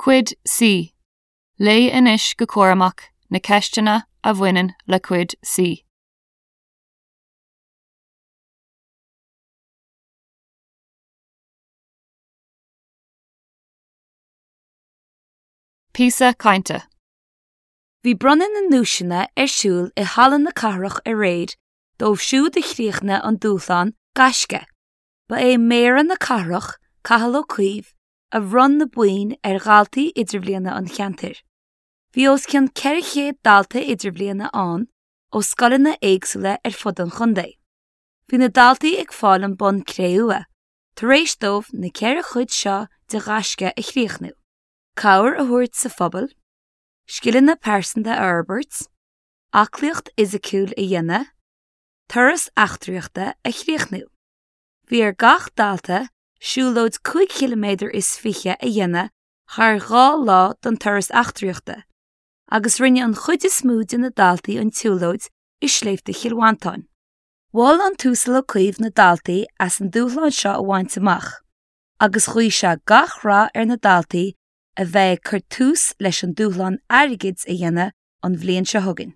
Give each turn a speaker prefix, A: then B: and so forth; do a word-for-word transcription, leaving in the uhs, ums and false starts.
A: Cuid C. Léigh anois go cúramach na ceisteanna a bhaineann le Cuid C. Píosa cainte.
B: Bhí bronnadh na nduaiseanna ar siúl i Halla na Cathrach aréir dóibh siúd a chríochnaigh an dúshlán Gaisce. Ba é Méara na Cathrach, Cathal Ó Cuív, a bhronn na boinn ar dhaltaí idirbhliana an cheantair. Bhí os cionn ceithre chéad dalta idirbhliana ann ó scoileanna éagsúla ar fud an chontae. Bhí na daltaí ag fáil an bonn cré-umha, tar éis dóibh na ceithre chuid seo de Ghaisce a chríochnú. Cabhair a thabhairt sa phobal, scileanna pearsanta a fhorbairt, aclaíocht fhisiciúil a dhéanamh, turas eachtraíochta a chríochnú. Bhí ar gach dalta siúlóid cúig chiliméadar is fiche a dhéanamh thar dhá lá don turas eachtraíochta, agus rinne an chuid is mó de na daltaí an tsiúlóid i Sléibhte Chill Mhantáin. Mhol an tUasal Ó Cuív na daltaí as an dúshlán seo a bhaint amach, agus ghuigh sé gach rath ar na daltaí a bheidh ag cur tús leis an dúshlán airgid a dhéanamh an bhliain seo chugainn.